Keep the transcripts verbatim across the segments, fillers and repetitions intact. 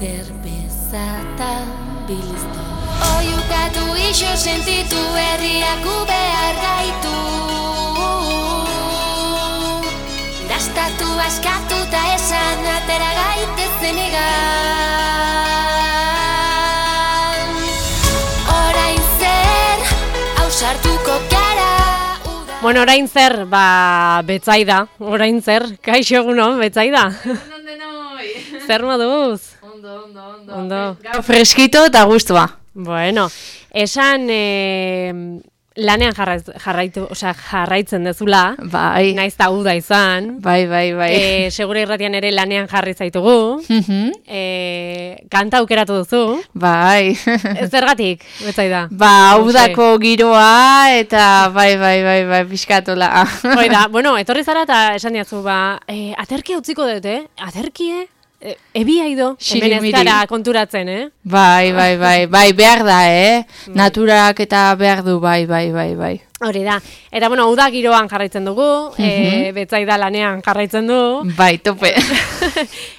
cerveza eta bilisto. Oiukatu iso sentitu herriak behar gaitu. Dastatu askatu ta esan atera gaitezen egan. Orain zer, ausartuko gara. Bueno, orain zer, ba, Betsaida, orain zer, kaixo egunon, Betsaida. Egunon denoi. Zer moduz? Ondo, ondo, ondo. Ondo. Gaur freskito eta gustua. Bueno, esan eh, lanean jarraiz, jarraitu, osea, jarraitzen dezula, Bai, naiz ta uda izan, bai, bai, bai. eh, segure irratian ere lanean jarri zaitugu, Mhm. eh, kanta aukeratu duzu, Bai. zergatik, Betsaida? Ba, udako giroa eta bai, bai, bai, bai, pixkatola. Hoi da, bueno, etorri zara eta esan diatzu, ba, eh, aterkia utziko dut, eh? Aterkie? E, ebia ido, hemen ez Xirimiri. gara konturatzen, eh? Bai, bai, bai, bai, behar da, eh? Naturak eta behar du, bai, bai, bai, bai. Hori da. Eta, bueno, uda giroan jarraitzen dugu, e, Betsaida lanean jarraitzen du. Bai, tope.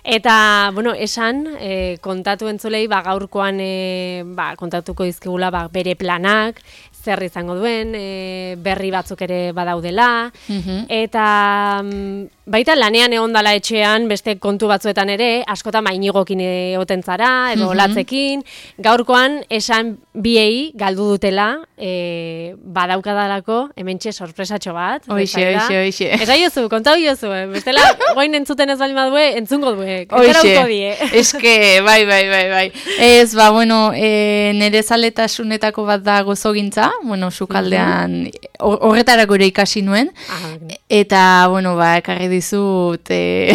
Eta, bueno, esan, e, kontatu entzulei, ba, gaurkoan e, ba, kontatuko dizkigula ba, bere planak, zer izango duen, e, berri batzuk ere badaudela, Mhm. eta mm, baita lanean egon dala etxean, beste kontu batzuetan ere, askotan mainigokin egoten zara, edo olatzekin, gaurkoan esan biei galdu dutela, e, badaukadalako, hementxe sorpresatxo bat. Hoixe, Betsaida. hoixe, hoixe. Esa iozu, kontau iozu, eh? Bestela, goin entzuten ez bali badue, entzungo due. Hoixe, die. eske, bai, bai, bai, bai. Ez, ba, bueno, e, nire zaletasunetako bat da gozogintza, bueno, sukaldean, hor- horretarako ere ikasi nuen, Aha, eta, bueno, ba, ekarri dizut, e,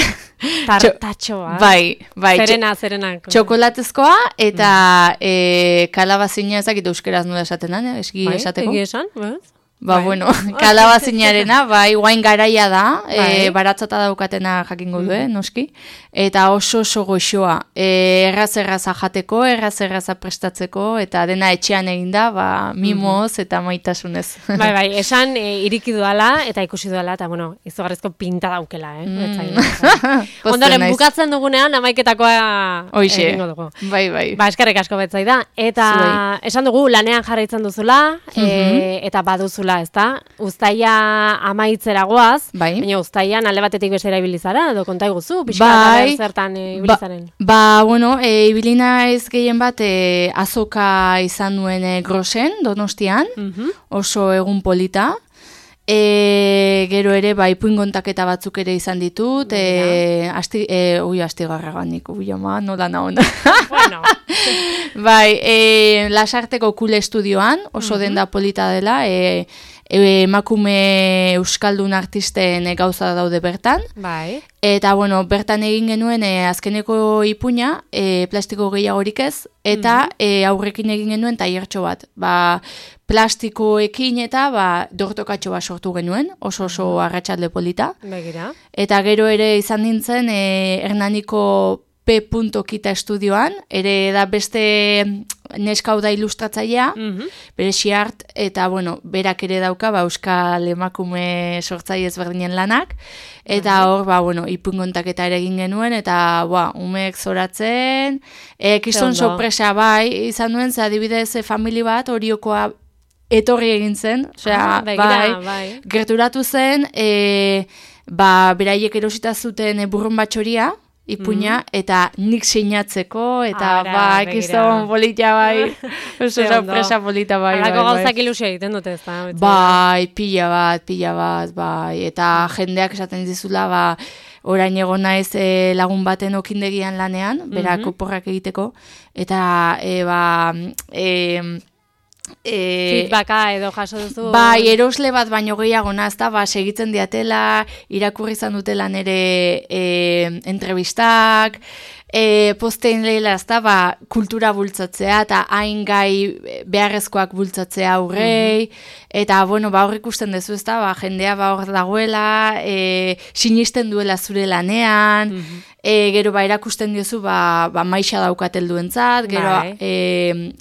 tartatxoa. bai, bai, txo- Zerena, zerena. txokolatezkoa, eta e, kalabazina ezakit euskeraz nola esaten da, eski Bai, esateko. egia esan, bez? Ba, Bai. bueno, kalabazinarena, bai, guain garaia da, Bai. e, baratzata daukatena jakingo du, eh, noski, eta oso oso goxoa, e, erraz erraza jateko, erraz erraza prestatzeko, eta dena etxean eginda, ba, mimoz eta maitasunez. Bai, bai, esan e, iriki duala, eta ikusi duala, eta, bueno, izugarrizko pinta daukela, eh? Betsaida. Pozten Ondoren, naiz. bukatzen dugunean, amaiketakoa Hoixe, egingo dugu. bai, bai. Ba, eskerrik asko Betsaida. Eta Zuei. esan dugu, lanean jarraitzen duzula, e, eta baduzula, ezta? Uztaia amaitzera goaz, Bai. baina uztaian alde batetik bestera ibili zara, edo konta iguzu, pixka Bai. ber zertan e, ibili Ba, zaren. ba, bueno, e, ibilina ez gehien bat e, azoka izan nuen e, Grosen, Donostian, Mhm. oso egun polita. E, gero ere, ba, ipuin kontaketa batzuk ere izan ditut, e, asti, e, ui, astigarraganik, ui, ama, nola naon. Bueno, Bai, e, Lasarteko Kule Estudioan, oso denda polita dela, e, e, emakume euskaldun artisten e, gauza daude bertan. bai. Eta, bueno, bertan egin genuen e, azkeneko ipuina, e, plastiko gehiagorik ez, eta e, aurrekin egin genuen tailertxo bat. Ba, plastikoekin eta ba, dortokatxo bat sortu genuen, oso oso arratsalde polita. Begira. Eta gero ere izan nintzen e, Hernaniko P. Kita estudioan, ere da beste neska hau da ilustratzailea, Mhm. bere xiart, eta bueno, berak ere dauka, ba, euskal emakume sortzaile ezberdinen lanak, eta hor, ba, bueno, ipuin kontaketa ere egin genuen, eta, ba, umeek zoratzen, e, kiston ondo. sorpresa bai, izan duen, ze adibidez, e, famili bat, oriokoa etorri egin zen, osea, Ah, begira, bai, bai. gerturatu zen, e, ba, beraiek erosita zuten e, burrun batxoria, ipuina, eta nik sinatzeko, eta Ara, bai, begira. kiston polita bai, oso Ze ondo. sorpresa polita bai, bai, Halako bai. gauzak ilusio egiten dute, ez da? Bai, pila bat, pila bat, bai, eta jendeak esaten dizula, ba, orain egon naiz e, lagun baten okindegian lanean, berak oporrak egiteko, eta, e, ba, e, e, Feedbacka edo jaso duzu. bai, erosle bat baino gehiago nazta, ba, segitzen diatela, irakurri izan dutela nere e, entrevistak, e, postein lehela ezta, ba, kultura bultzatzea, eta hain gai beharrezkoak bultzatzea aurrei, eta, bueno, ba, hor ikusten dezu ezta, ba, jendea ba, hor dagoela, e, sinisten duela zure lanean, e, gero, ba, erakusten diozu, ba, ba maixa daukat gero, Bai. e,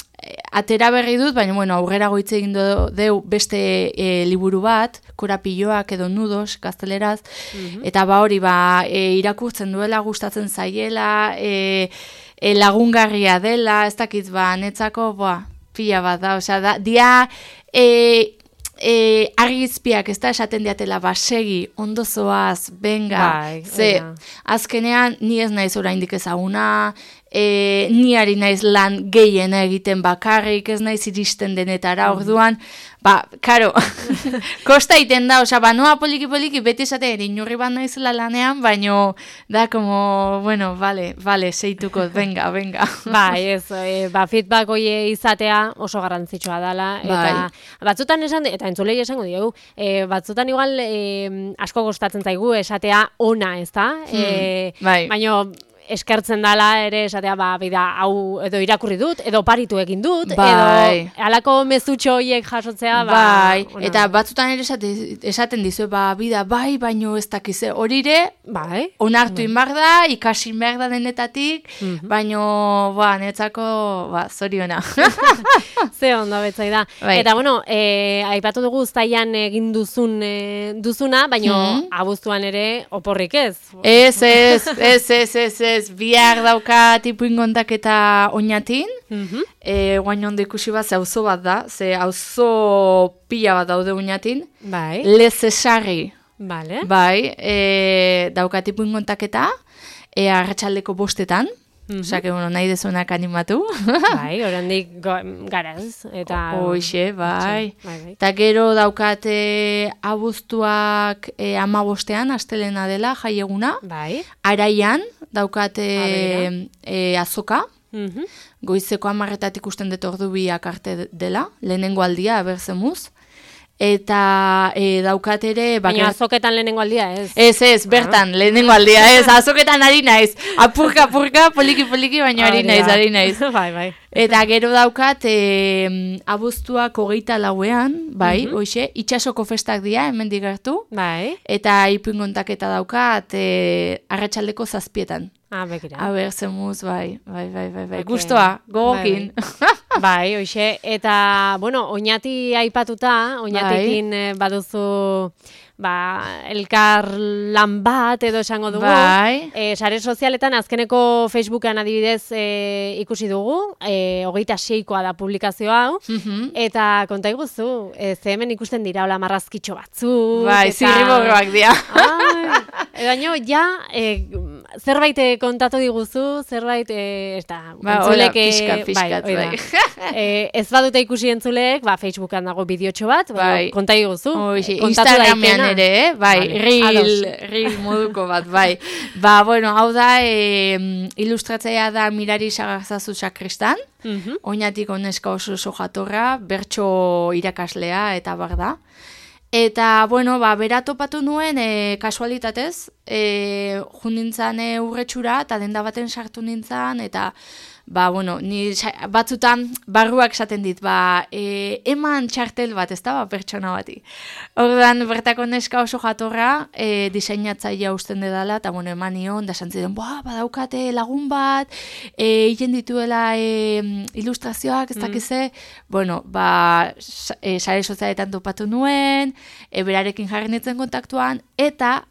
atera berri dut, baina bueno, aurrera goitze egin do, deu beste e, liburu bat, korapilloak edo nudos, gazteleraz, eta ba hori, ba, e, irakurtzen duela, gustatzen zaiela, e, e, lagungarria dela, ez dakit ba, netzako, boa, pila bat da, osea, da, dia, e, e, argizpiak, ez da, esaten diatela, ba, segi, ondo zoaz, benga, Bai, ze, oida. azkenean, ni ez naiz oraindik ezaguna, e, ni ari naiz lan gehiena egiten bakarrik, ez naiz iristen denetara, orduan, ba, karo, kosta iten da, osea, ba, noa poliki-poliki, beti esate, inurri bat naizela lanean, baino, da, como, bueno, vale, vale, seituko, venga, venga. Bai, ez, e, ba, feedback hoie izatea oso garrantzitsua dela, eta batzutan esan, eta entzulei esango diogu, e, batzutan igual e, asko gustatzen zaigu esatea ona, ez da? E, bai. Baino, eskertzen dala ere esatea, ba, bida, hau edo irakurri dut, edo oparitu egin dut, Bai. edo halako mezutxo horiek jasotzea, ba, Bai, ona. eta batzutan ere esate, esaten dizu, ba, bida, bai, baino ez dakize, horire, bai, onartu inbar da, ikasi behar da denetatik, baino, ba, netzako, ba, zoriona. ze ondo betzai da. Bai. Eta, bueno, e, aipatu dugu uztailan egin duzun e, duzuna, baino Mhm. abuztuan ere oporrik ez. Ez, ez, ez, ez, ez, ez, bihar dauka tipuin kontaketa oinatin, Mhm. e, guain ondo ikusi bat, ze auzo bat da, ze auzo pila bat daude oinatin, Bai, lezesarri, vale. bai, e, dauka tipuin kontaketa, e, arratsaldeko bostetan, osea, que, bueno, nahi dezunak animatu. Bai, oraindik go- garaz, eta... Hoxe, bai. Bai, bai. Eta gero daukate abuztuak e, amabostean, astelena dela, jaieguna. Bai. Araian daukate Abera. e, azoka, Mhm. goizeko amarretatik ikusten dut ordu biak arte dela, lehenengo aldia, aberzemuz. Eta e, daukat ere... Baina bakar- azoketan lehenengo aldia, ez? Ez, ez, bertan, lehenengo aldia, ez, azoketan ari naiz. Apurka, apurka, poliki, poliki, baina ari Hori naiz, da. ari naiz. Bai, bai. Eta gero daukat, e, abuztuak hogeita lauean, bai, Mhm. hoxe, itxasoko festak dira, hemen digertu. Bai. Eta ipuin kontaketa daukat, e, arratsaldeko zazpietan. Ah, bekira. Aber, zemuz, bai, bai, bai, bai, bai. Ok. Gustoa, gogokin. Bai, hoxe. Eta, bueno, oinati aipatuta, oinatikin eh, baduzu, ba, elkar lan bat edo esango dugu. Bai. E, sare sozialetan azkeneko Facebookan adibidez e, ikusi dugu, e, hogeita seikoa da publikazio hau, Mhm. eta konta iguzu, e, ze hemen ikusten dira hola marrazkitxo batzuk. Bai, eta- zirriborroak dira. Ai, e, baino, ja, e, zerbait eh, kontatu diguzu, zerbait, e, ez da, Ba, entzulek, hola, pixkat, eh, pixkat, hoi da. bai. E, ez badute ikusi entzuleek, ba, Facebookan dago bideotxo bat, Bai. ba, konta iguzu. Hoxe, kontatu Instagramean daitena. ere, eh? Bai, Vale, reel, ados. reel moduko bat, bai. Ba, bueno, hau da, e, ilustratzaia da Mirari Sagarzazu Sakristan, Mhm. oinatik oneska oso oso jatorra, bertso irakaslea eta bar da. Eta, bueno, ba, bera topatu nuen, e, kasualitatez, e, jundintzan e, urretxura, eta denda baten sartu nintzen, eta, ba, bueno, ni sa- batzutan barruak esaten dit, ba, e, eman txartel bat, ez da, ba, pertsona bati. Orduan, bertako neska oso jatorra, e, diseinatzailea usten dedala, eta, bueno, eman nion, da santziden, ba, badaukate lagun bat, e, hien dituela e, ilustrazioak, ez dakize, bueno, ba, sa- e, sare sozialetan topatu nuen, e, berarekin jarri nintzen kontaktuan, eta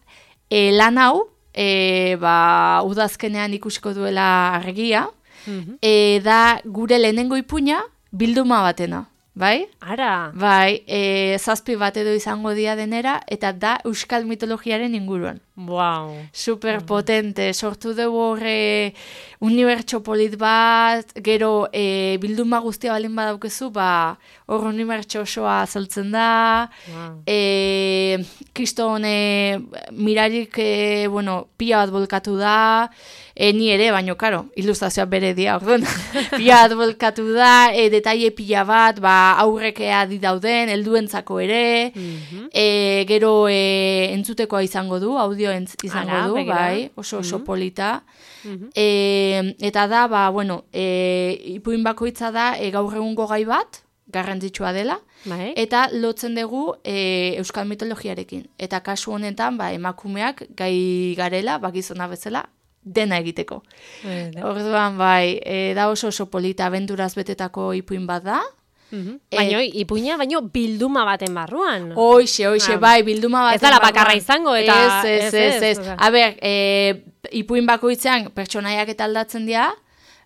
e, lan hau, e, ba, udazkenean ikusiko duela argia, Mhm. e, da gure lehenengo ipuina bilduma batena, bai? Ara, Bai, e, zazpi bat edo izango dia denera, eta da euskal mitologiaren inguruan. wow. Super potente, sortu dugu horre unibertso polit bat, gero e, bilduma guztia balin badaukezu, ba, hor unibertso osoa azaltzen da, Wow. e, kriston e, mirarik, e, bueno, pila bat bolkatu da, e, ni ere, baino, karo, ilustrazioa bere dia, orduan, pila bat bolkatu da, e, detaile pila bat, ba, aurrekea di dauden, helduentzako ere, Mhm. e, gero e, entzutekoa izango du, audio entz, izango Ara, du, begira. bai, oso oso Mhm. polita. Mhm. E, eta da, ba, bueno, e, ipuin bakoitza da e, gaur egungo gai bat, garrantzitsua dela, Bai. eta lotzen dugu e, euskal mitologiarekin. Eta kasu honetan, ba, emakumeak gai garela, ba, gizona bezala, dena egiteko. Bai, da. Orduan, bai, e, da oso oso polita, abenturaz betetako ipuin bat da. Mhm. E- Baina, ipuina, baino bilduma baten barruan. Hoxe, hoxe, Ah. bai, bilduma bat. Ez dala bakarra izango, eta- Ez, ez, ez, ez, ez, ez. osea. A ber, e, ipuin bakoitzean pertsonaiak eta aldatzen dira,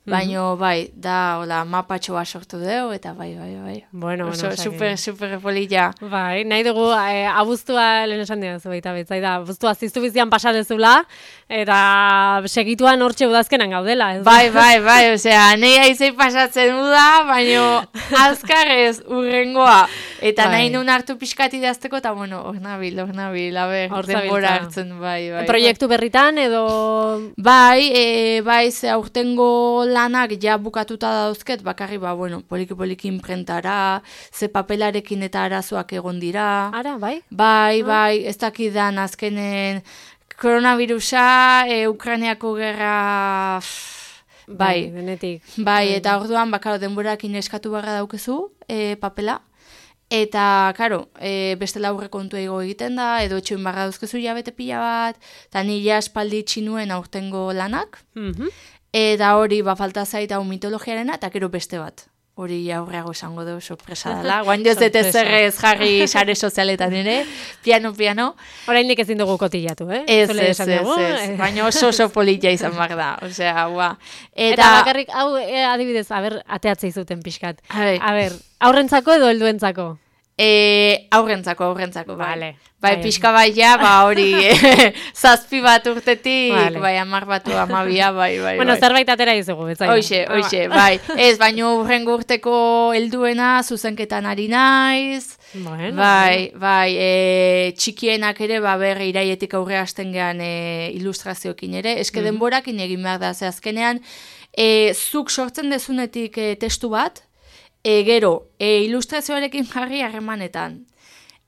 Baina, bai, da, hola, mapatxoa sortu dugu, eta bai, bai, bai. Bueno, Oso, bueno, super, super polilla. Bai, nahi dugu, eh, abuztua lehen esan dira zu baita betzai da, abuztua ziztu bizian pasadezula, eta segituan hortxe udazkenan gaudela. Ez? Bai, bai, bai, osea, nahi aizei pasatzen da, baina azkarrez urrengoa. Eta bai. nahi nun hartu pixkati idazteko, eta bueno, hor nabil, hor nabil, a ber, Hor denbora zabiltza. hartzen, bai, bai. Proiektu berritan edo... Bai, e, bai, ze aurtengo lanak ja bukatuta dauzket, bakarri, ba, bueno, poliki-poliki imprentara, ze papelarekin eta arazoak egon dira. Ara, bai? Bai, bai, ez dakidan azkenen koronavirusa, e, Ukrainiako gerra... Bai, denetik. bai, eta orduan, bakaro, denborakin eskatu barra daukezu, e, papela. Eta, karo, e, bestela aurre kontu ego egiten da, edo etxoin barra dauzkezu jabete pila bat, eta nila espaldi itxinuen aurtengo lanak, Mhm. eta hori, ba, falta zait hau mitologiarena, eta gero beste bat. Hori aurreago esango dugu, sorpresa dela. Guan joz dut ezerrez jarri sare sozialetan ere, piano, piano. Oraindik ezin dugu kotillatu, eh? Ez, Zule ez, esan ez, dugu, ez. eh. Baina oso oso politia izan behar da. Osea, ua. Eta, Eta, bakarrik, hau, eh, adibidez, aber, ateatzei zuten pixkat. A ber. A ber, aurrentzako edo helduentzako? E, aurrentzako, aurrentzako, bai. Vale. Bai, Bai. pixka bai ja, ba hori, eh, zazpi bat urtetik, Vale. bai, amar batu, amabia, bai, bai, Bueno, bai. zerbait atera izugu, betzai. Hoxe, hoxe, bai. Ez, baino urrengo urteko helduena zuzenketan ari naiz. Bueno, Bai, bai, e, txikienak ere, ba, ber, iraietik aurre hasten gehan e, ilustrazioekin ere. Eske denborakin egin behar da, ze azkenean, e, zuk sortzen dezunetik e, testu bat, e, gero, e, ilustrazioarekin jarri harremanetan.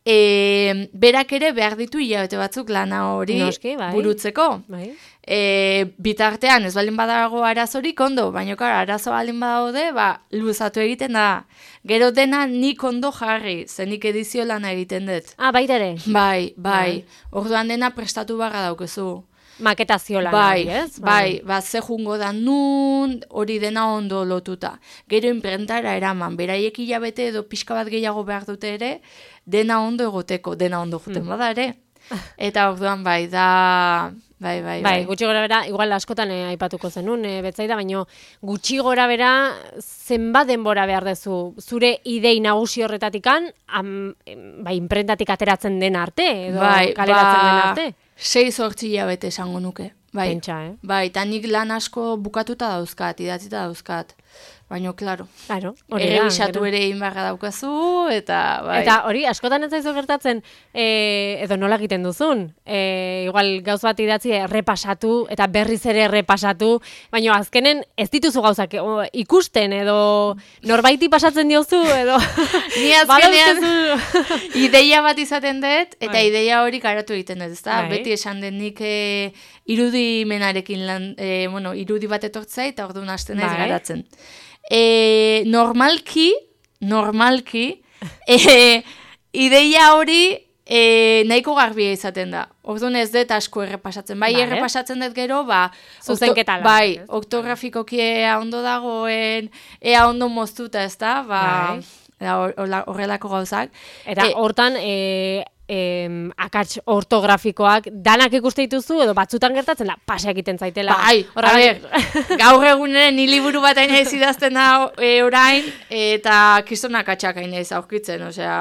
E, berak ere behar ditu hilabete batzuk lana hori Noski, bai. burutzeko. Bai. E, bitartean ez baldin badago arazorik ondo, baina kara, arazo baldin badaude, ba, luzatu egiten da. Gero dena nik ondo jarri, zenik edizio lana egiten dut. Ah, baita ere. Bai, bai, orduan dena prestatu barra daukezu. Maketazio lan Bai, hori, ez? bai, ba, ze jungo da nun, hori dena ondo lotuta. Gero imprentara eraman, beraiek hilabete edo pixka bat gehiago behar dute ere, dena ondo egoteko, dena ondo juten bada ere. Eta orduan bai, da, bai, bai, Bai, gutxi gora bera, igual askotan eh, aipatuko zenun, eh, betzaida, baina gutxi gora bera zenbat denbora behar dezu, zure idei nagusi horretatikan, am, em, bai, imprentatik ateratzen den arte, edo bai, kaleratzen ba, den arte. sei zortzi hilabete esango nuke. Bai, Pentsa, eh? bai, eta nik lan asko bukatuta dauzkat, idatzita dauzkat. Baina, klaro, Claro, hori da, errebisatu gero. ere egin beharra daukazu, eta bai. Eta hori, askotan ez zaizu gertatzen, e, edo nola egiten duzun. E, igual gauz bat idatzi errepasatu, eta berriz ere errepasatu, baina azkenen ez dituzu gauzak o, ikusten, edo norbaiti pasatzen diozu, edo... Ni azkenean badauzkazu- ideia bat izaten dut, eta Bai. ideia hori karatu egiten dut, ezta? Bai. Beti esan den nik e, irudimenarekin lan, e, bueno, irudi bat etortzai, eta orduan hasten naiz Bai. garatzen. E, normalki, normalki, e, ideia hori e, nahiko garbia izaten da. Orduan ez dut asko errepasatzen. Bai, Vale. errepasatzen dut gero, ba... Zuzenketa lan, Bai, ez? ortografikoki ea ondo dagoen, ea ondo moztuta, ez da? Ba, Bai. da, hor- horla- horrelako gauzak. Eta E, hortan, e, em, akats ortografikoak danak ikuste dituzu, edo batzutan gertatzen da, pasa egiten zaitela. Bai, a Horregatik- ber, gaur eguneren ni liburu bat aina ez idazten da e, orain, eta kistonak atxak aina ez aurkitzen, osea,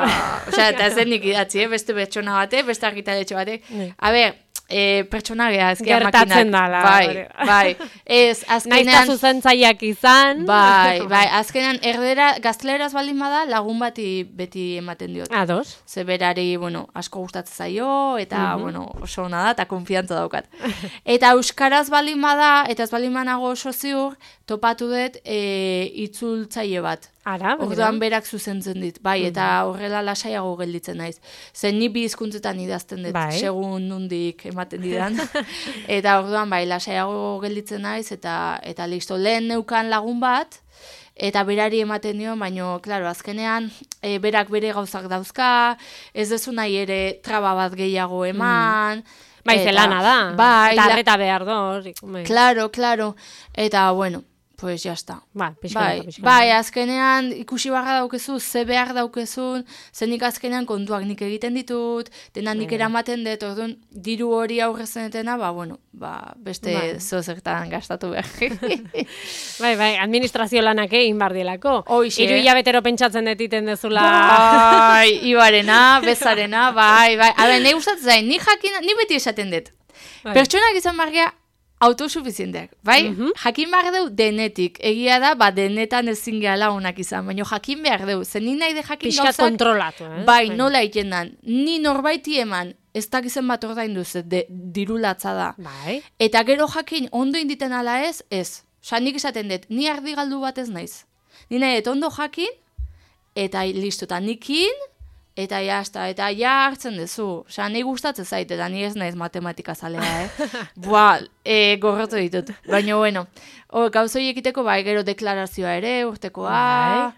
osea, eta ez denik idatzi, eh? Beste pertsona batek, beste argitaletxe batek. Bai. A ber, e, pertsona geha, ezkia Gertatzen makinak. dala, Bai, hori. bai, ez, Naizta azkenean... zuzentzaileak izan. Bai, bai, azkenean erdera, gazteleraz baldin bada, lagun bati beti ematen diot. Ados. Ze berari, bueno, asko gustatzen zaio, eta, bueno, oso ona da, eta konfiantza daukat. Eta euskaraz baldin bada, eta ez baldin banago oso ziur, topatu dut e, itzultzaile bat. Ara, Orduan berak zuzentzen dit, bai, eta horrela lasaiago gelditzen naiz. Zen ni bi hizkuntzetan idazten dut, Bai. segun nundik ematen didan. Eta orduan, bai, lasaiago gelditzen naiz, eta, eta listo, lehen neukan lagun bat, eta berari ematen dio, baino, klaro, azkenean, e, berak bere gauzak dauzka, ez dezu nahi ere traba bat gehiago eman. Bai, eta- zelana da. Bai, eta la- arreta behar do. hori, bai. Claro, claro. Eta, bueno, pues jazta. Ba, pixka Bai, naka, pixka bai, naka. azkenean ikusi barra daukezu, ze behar daukezun, zenik azkenean kontuak nik egiten ditut, dena nik eramaten dut, orduan, diru hori aurrezenetena, ba, bueno, ba, beste Bai. zozertan gastatu behar. Bai, bai, administrazio lanak egin bar dielako. Hoixe. Hiru hilabetero pentsatzen detiten dezula. Bai, ibarena, bezarena, bai, bai. Habe, nahi gustatzen zain, ni jakin, ni beti esaten dut. Bai. Pertsonak izan barria autosuficienteak, bai? Mhm. Jakin behar deu denetik. Egia da, ba, denetan ezin gehala onak izan, baina jakin behar deu. Zen ni nahi de jakin Pixka gauzak, kontrolatu, eh? bai, nola egiten dan. Ni norbaiti eman, ez dakizen bat ordaindu ze, de, dirulatza da. Bai. Eta gero jakin ondo inditen ala ez, ez. Osa, nik esaten dut, ni ardi galdu bat ez naiz. Ni nahi dut ondo jakin, eta listo, eta nikin, eta jazta, eta ja hartzen duzu. Osa, nahi gustatzen zait, eta ni ez naiz matematika zalea, eh? Boa, e, gorrotu ditut. Baina, bueno, o, gauzoi ekiteko, bai, gero deklarazioa ere, urtekoa,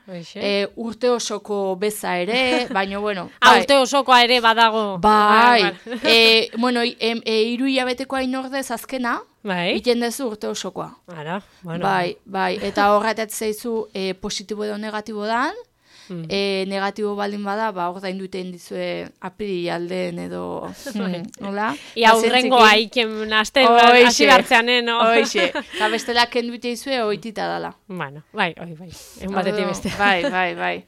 Bai, hoxe. e, urte osoko beza ere, baina, bueno, Ah, bai. urte osokoa ere badago. Bai, e, bueno, e, e, iru hilabetekoa inordez azkena, Bai. iten dezu urte osokoa. Ara, bueno. Bai, bai, eta horretat zeizu e, positibo edo negatibo dan, Mm. e, negatibo baldin bada, ba, ordain duten dizue apiri alden edo, hmm, nola? Ia urrengo aiken asten Hoixe. hasi bartzeanen, no? Hoixe, eta bestela kendute izue oitita dala. Bueno, bai, oi, bai. Egun batetik Orduan, beste. Bai, bai, bai.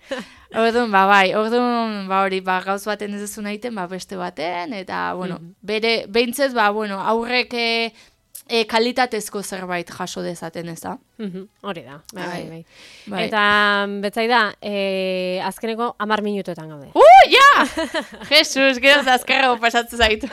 Orduan, ba, bai, orduan, ba, hori, ba, gauz baten ez duzu egiten, ba, beste baten, eta, bueno, bere, behintzez, ba, bueno, aurrek e, e, kalitatezko zerbait jaso dezaten, ez da? Mhm, hori da, bai, bai, bai. Bai. Eta, betzai da, e, azkeneko amar minutuetan gaude. Uh, ja! Jesus, gero azkarrago pasatzen zaitu.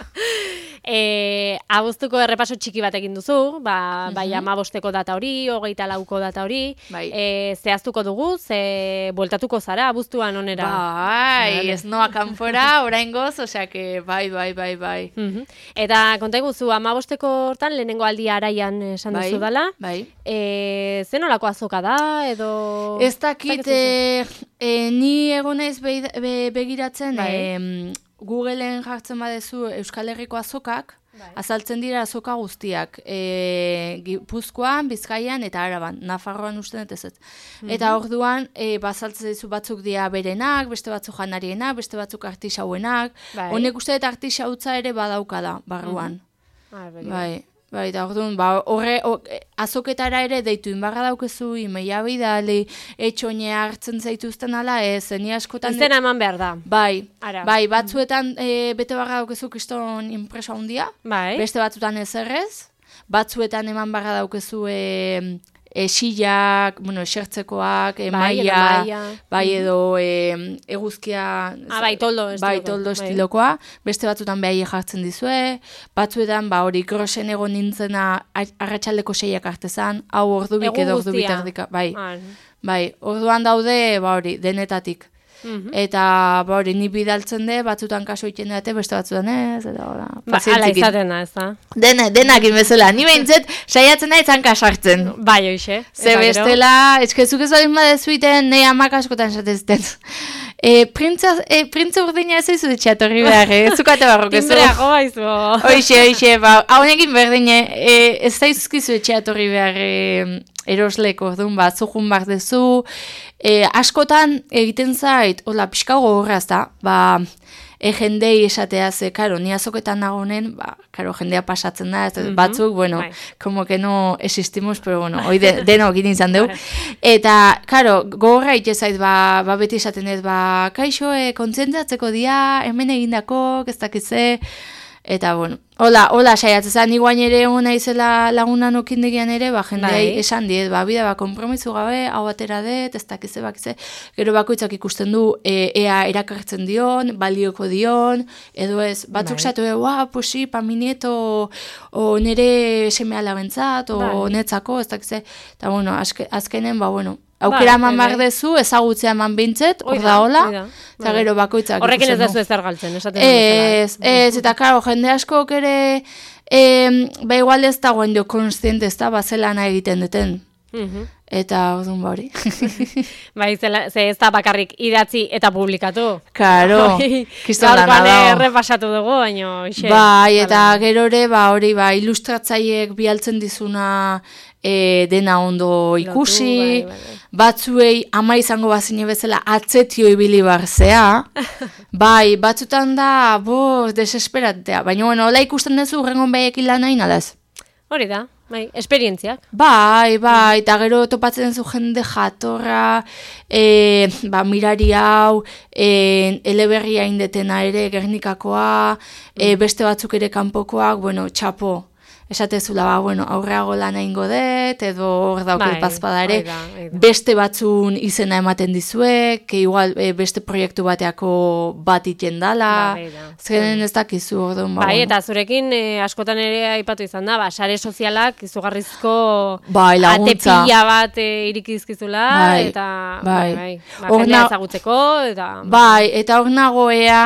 E, abuztuko errepaso txiki bat egin duzu, ba, bai amabosteko data hori, hogeita lauko data hori, Bai. e, zehaztuko dugu, ze bueltatuko zara abuztuan onera. Bai, Vale. ez noa kanpora, oraingoz, osea que bai, bai, bai, bai. Mhm. Eta konta iguzu, amabosteko hortan, lehenengo aldia araian esan Bai, duzu dala, bai. e, zen olako azoka da, edo... Ez dakit, e, e, ni egon naiz be, be, begiratzen, Bai. e, Googleen jartzen badezu Euskal Herriko azokak, Bai. azaltzen dira azoka guztiak, e, Gipuzkoan, Bizkaian eta Araban, Nafarroan uste dut ez ez. Eta orduan, e, bazaltzen dizu batzuk dira berenak, beste batzuk janarienak, beste batzuk artisauenak, Bai. honek uste dut artisautza ere badaukada barruan. Ah, begira. Bai, bai, eta orduan, ba, horre, o, e, azoketara ere deitu inbarra daukezu, imeia bidali, etxoinea hartzen zaituzten ala, ez, ni askotan... Izena eman behar da. Bai, Ara. bai, batzuetan e, bete barra daukezu kriston impresa handia, Bai. beste batzuetan ez errez, batzuetan eman barra daukezu e, e, sillak, bueno, esertzekoak, e, Bai, edo maila, maila. bai, edo e, eguzkia... Ah, bai, toldo Bai, estilokoa. toldo Bai. estilokoa, beste batzutan behai jartzen dizue, batzuetan, ba, hori grosen egon nintzena ar- arratsaldeko seiak artezan, hau ordubik Egun edo ordubik guztia. erdika, bai, Ah, bai, orduan daude, ba, hori, denetatik. mhm. Eta, ba, hori, ni bidaltzen de, batzutan kaso egiten dute, beste batzutan ez, eta, hola, Ba, ala pazientzikin. izaten da, ez da? Dena, denak bezala, ni behintzet, saiatzen da izan kasartzen. Bai, hoxe. Ze Eta gero? bestela, eskezuk ez baldin badezuiten, nahi amak askotan esatezten. E, printza, e, printza urdina ez eizu ditxatorri behar, eh? Zukate barrok ez. Timbreago baizu. Hoixe, hoixe, ba, haunekin berdine, e, ez zaizkizu etxeatorri behar e, erosleko, orduan, ba, zuhun behar dezu, e, askotan egiten zait, hola, pixka gogorraz da, ba, e, jendei esatea ze, karo, ni azoketan nagonen, ba, karo, jendea pasatzen da, ez, batzuk, bueno, bai. como que no existimos, pero bueno, hoi de, deno egin izan dugu. Eta, karo, gogorra ite zait, ba, ba beti esaten ez, ba, kaixo, e, kontzentratzeko dia, hemen egindako, ez dakitze, eta, bueno, hola, hola saiatzen, ni guain ere egon naizela lagunan okindegian ere, ba, jendeai Bai. esan diet, ba, bida, ba, kompromisu gabe, hau atera dut, ez dakize, bakize, gero bakoitzak ikusten du, e, ea erakartzen dion, balioko dion, edo ez, batzuk Bai. satu, ua, posi, pa mi nieto, o nere seme alabentzat, o Bai. netzako, ez dakize, eta, bueno, azke, azkenen, ba, bueno, aukera Bai, eman bai, behar bai. dezu, ezagutzea eman bintzet, Hoi hor da, da hola, hoi da. eta Bai. gero bakoitzak Horrekin ez ikusten dazu du. ezer galtzen, esaten dut bezala. Ez, ez, eta karo, jende askok ere, e, ba igual ez dagoen dio konstiente ez da, ba zelan egiten duten. Mhm. Eta orduan ba hori. Bai, zela, ze ez da bakarrik idatzi eta publikatu. Karo, kiston lana Gaurkoan dago. errepasatu dugu, baina ixe. Bai, eta gero ere, ba hori, ba, ilustratzaileek bialtzen dizuna e, dena ondo ikusi, bai, bai. batzuei ama izango bazine bezala atzetio ibili barzea, bai, batzutan da, bo, desesperatea, baina bueno, hola ikusten duzu urrengon behiekin lan nahi nalaz. Hori da, bai, esperientziak. Bai, bai, eta gero topatzen zu jende jatorra, e, ba, mirari hau, e, eleberria indetena ere, Gernikakoa, e, beste batzuk ere kanpokoak, bueno, txapo. Esatezula, ba, bueno, aurreago lan egingo dut, edo hor dauket Bai, bazpada ere, hori da, hori da. beste batzun izena ematen dizuek, que igual e, beste proiektu bateako bat iten dala, Bai, da. zeren ez dakizu, orduan, ba, Bai, bueno. eta zurekin eh, askotan ere aipatu izan da, ba, sare sozialak izugarrizko Bai, laguntza. atepila bat eh, irikizkizula, Bai, eta bai. bai, bai, ba, Hor jendea na- ezagutzeko, eta Bai, eta hor nagoea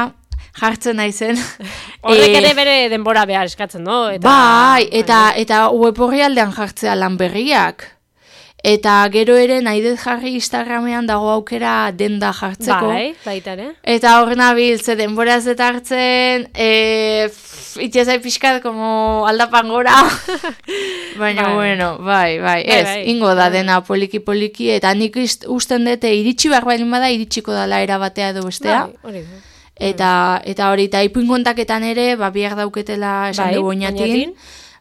jartzen naizen. horrek Eh, ere bere denbora behar eskatzen, no? Eta, Bai, eta, eta web orrialdean jartzea lan berriak. Eta gero ere nahi dut jarri Instagramean dago aukera denda jartzeko. Bai, baita ere. Eta hor nabil, ze denbora ez dut hartzen, e, itxezai pixkat, como aldapan gora. Baina, Bai. bueno, bai, bai, Bai, ez, bai. ingo da Bai. dena poliki-poliki, eta nik ist- usten dute iritsi behar baldin bada, iritsiko dala era batea edo bestea. Bai, hori da. Eta, eta hori, eta ipuin kontaketan ere, ba, biak dauketela esan Bai, dugu oinatin. oinatin.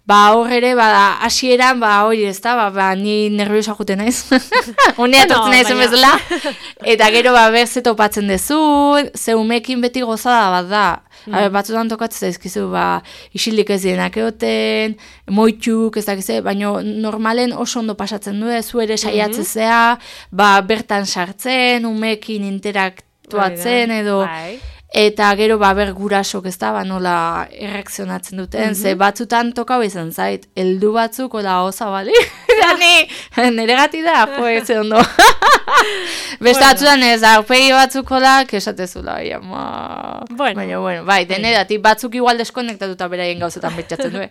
Ba, hor ere, ba, hasieran ba, hori ez da, ba, ba, ni nerviosa juten naiz. Unea Bueno, tortzen naizen baina- bezala. Eta gero, ba, berze topatzen dezu, ze umekin beti gozada bat da. Mm. A ber, batzutan tokatzen zaizkizu, ba, isilik ez dienak egoten, moitxuk, ez dakize, baina normalen oso ondo pasatzen du, zu ere saiatzezea, ba, bertan sartzen, umekin interaktuatzen Hori da. edo... Bai. Eta gero ba ber gurasok ez da, ba nola erreakzionatzen duten, ze batzutan tokau izan zait, heldu batzuk ola oza bali, da ni, nire gati da, jo, ez ondo. Beste Bueno. batzutan ez, aurpegi batzuk ola, kesatezula, bai, ama... Bueno. Baina, bueno, bai, denedatik, batzuk igual deskonektatuta beraien gauzetan betxatzen du,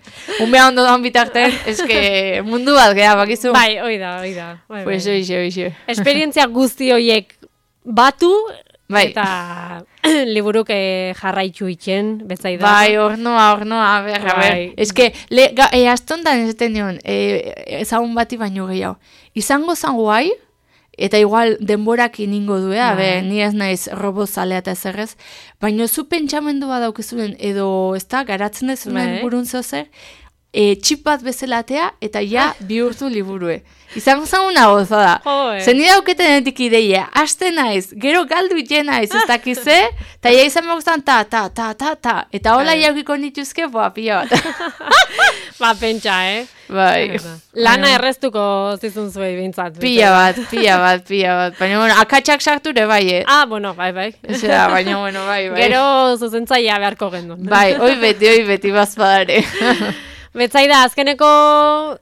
umea ondo doan bitarten, eske mundu bat geha, bakizu. Bai, hoi da, hoi da. Bai, Pues bai. oixe, oixe. Esperientzia guzti horiek batu, Bai. eta liburuk eh, jarraitu itxen, betzai da. Bai, hornoa, hornoa, a ber, a ber. Bai. Ez que, le, ga, e, astontan esaten nion, e, ezagun bati baino gehiago. Izango zan guai, eta igual denborakin ingo du, a Bai. ber, ni ez naiz robozalea eta ezerrez, baino zu pentsamendu bat daukizunen, edo, ez da, garatzen dezunen Bai. burun zer, e, txip bat bezalatea, eta ja bihurtu liburue. Izango zan una gozada. Joe. Zen nire dauketenetik ideia, haste naiz, gero galdu iten naiz, ez dakize, eta ja izan beguztan ta, ta, ta, ta, ta, eta hola Bai. jaukiko nituzke, boa, pila bat. Ba, pentsa, eh? Bai. Lana erreztuko zizun zuei bintzat. Pila bat, pila bat, pila bat. Baina, bueno, akatsak sarture bai, eh? Ah, bueno, bai, bai. Zera, baina, bueno, bai, bai. Gero zuzentzaia beharko gendun. Bai, oi beti, oi beti, bazpadare. Betzaida, azkeneko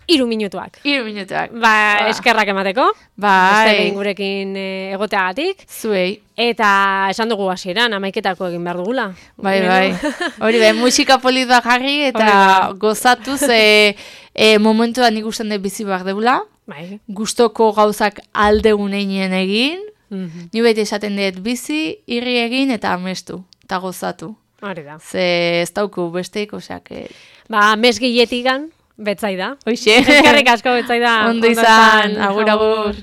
hiru minutuak. Hiru minutuak. Ba, eskerrak emateko. Bai. Beste behin gurekin eh, egoteagatik. Zuei. Eta esan dugu hasieran, amaiketako egin behar dugula. Bai, Gero- bai. Hori bai, musika polit bat jarri eta Hori da. gozatuz e, e, momentuan ikusten dut bizi behar deula. Bai. Gustoko gauzak aldegun einien egin. Mhm. Ni beti esaten dut bizi, irri egin eta amestu. Eta gozatu. Hori da. Ze ez dauku besteik, oseak... E, Ba, mesgilletigan, betzaida. Hoxe. Eskerrik asko betzaida. Ondo izan, agur, agur.